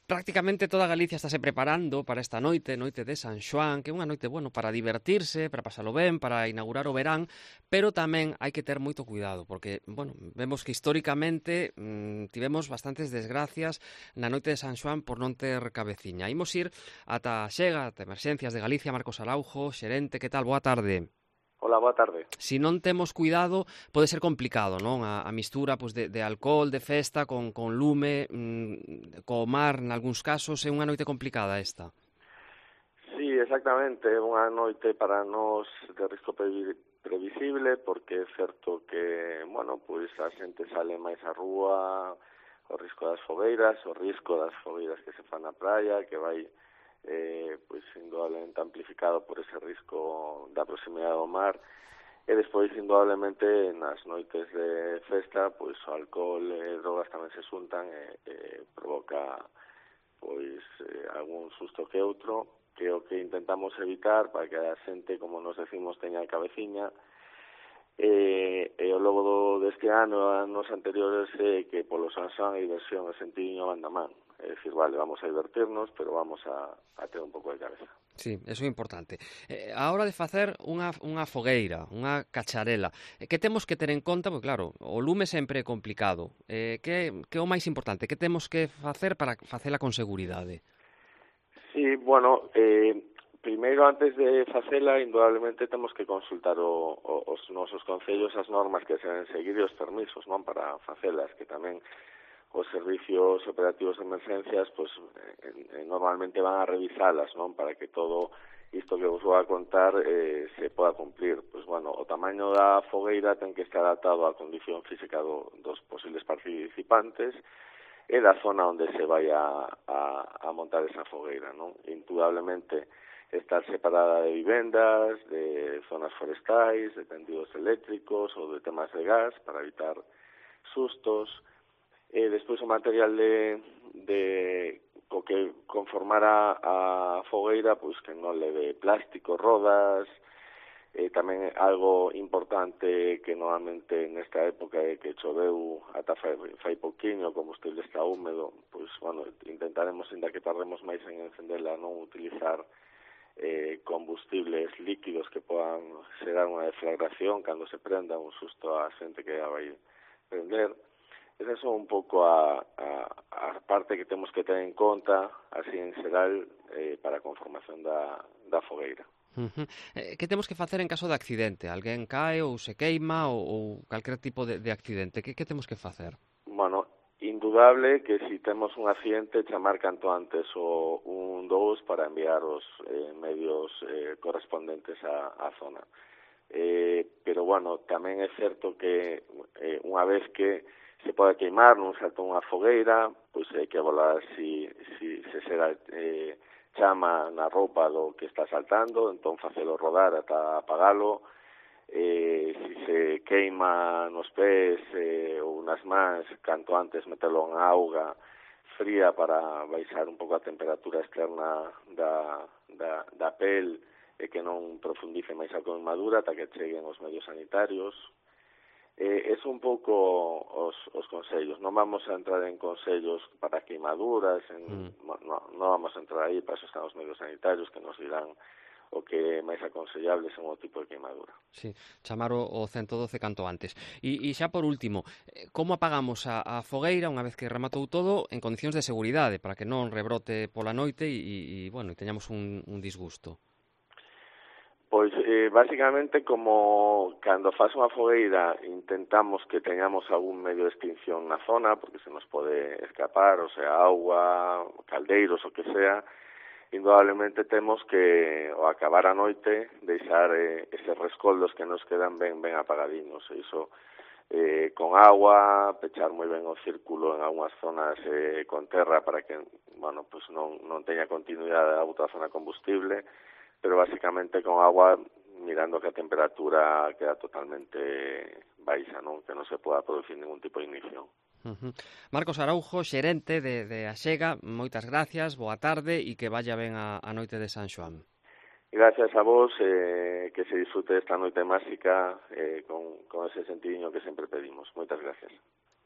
Prácticamente toda Galicia estáse preparando para esta noite de San Xoán, que é unha noite, bueno, para divertirse, para pasalo ben, para inaugurar o verán, pero tamén hai que ter moito cuidado, porque, bueno, vemos que históricamente tivemos bastantes desgracias na noite de San Xoán por non ter cabeciña. Imos ir ata a Xega, ata Emerxencias de Galicia, Marcos Araujo, xerente, que tal? Boa tarde. Hola, boa tarde. Se non temos cuidado, pode ser complicado, non? A mistura pois, de alcohol, de festa, con lume, co mar, nalgúns casos, é unha noite complicada esta. Sí, exactamente, é unha noite para nós de risco previsible, porque é certo que, bueno, pois a xente sale máis á rúa, o risco das fogueiras que se fan na praia, que vai pois indudablemente amplificado por ese risco da proximidade do mar. E despois, indudablemente, nas noites de festa, pois o alcohol e drogas tamén se xuntan e provoca pois algún susto que outro, que é o que intentamos evitar para que a xente, como nos decimos, teña a cabeciña. E ao longo deste ano e anos anteriores que polo San Xoán a diversión e sentidiño van da man. É dicir, vale, vamos a divertirnos, pero vamos a ter un pouco de cabeza. Sí, eso é importante. A hora de facer unha fogueira, unha cacharela, que temos que ter en conta? Porque claro, o lume sempre é complicado. Que é o máis importante? Que temos que facer para facela con seguridade? Sí, bueno, primeiro, antes de facela, indudablemente temos que consultar os nosos concellos, as normas que se deben seguir e os permisos, non, para facelas, que tamén os servicios operativos de emerxencias pois normalmente van a revisalas, non, para que todo isto que vos vou a contar se poda cumplir. Pois, bueno, o tamaño da fogueira ten que estar adaptado á condición física dos posibles participantes e da zona onde se vai a montar esa fogueira, non? Indudablemente estar separada de vivendas, de zonas forestais, de tendidos eléctricos ou de temas de gas para evitar sustos. Despois o material co que conformar a fogueira, pois que non leve plástico, rodas, tamén algo importante que normalmente nesta época que choveu ata fai pouquiño, o combustible está húmedo, pois, bueno, intentaremos, ainda que tardemos máis en encendela, non utilizar combustibles líquidos que podan xerar unha deflagración cando se prenda, un susto a xente que a vai prender. Esa é un pouco a parte que temos que ter en conta, así en xeral, para a conformación da fogueira. Que temos que facer en caso de accidente? Alguén cae ou se queima ou calquer tipo de accidente? Que temos que facer? Bueno, indudable que si temos un accidente chamar canto antes o 112 para enviar os medios correspondentes á zona. Pero, bueno, tamén é certo que unha vez que se pode queimar nun salto unha fogueira, pois hai que volar se será chama na roupa do que está saltando, entón facelo rodar ata apagalo. Se se queima nos pés ou nas mans, canto antes metelo en auga fría para baixar un pouco a temperatura externa da pel e que non profundice máis a queimadura ata que cheguen os medios sanitarios. É un pouco os consellos. Non vamos a entrar en consellos para queimaduras, non vamos a entrar aí, para eso están os medios sanitarios que nos dirán o que é máis aconsellable según o tipo de queimadura. Sí, chamar o 112 canto antes. E xa por último, como apagamos a fogueira unha vez que rematou todo en condicións de seguridade para que non rebrote pola noite e bueno, teñamos un disgusto? Pois, basicamente, como cando faz unha fogueira intentamos que teñamos algún medio de extinción na zona, porque se nos pode escapar, o sea, agua, caldeiros, o que sea, indudablemente temos que, ao acabar a noite, deixar eses rescoldos que nos quedan ben apagadiños. Iso, con agua, pechar moi ben o círculo en algunhas zonas con terra para que, bueno, pues non teña continuidade a outra zona combustible, pero basicamente con agua mirando que a temperatura queda totalmente baixa, non, que non se poda producir ningún tipo de ignición. Marcos Araujo, xerente de Axega, moitas gracias, boa tarde e que vaya ben a noite de San Xoán. Gracias a vos, que se disfrute esta noite máxica con ese sentidiño que sempre pedimos. Moitas gracias.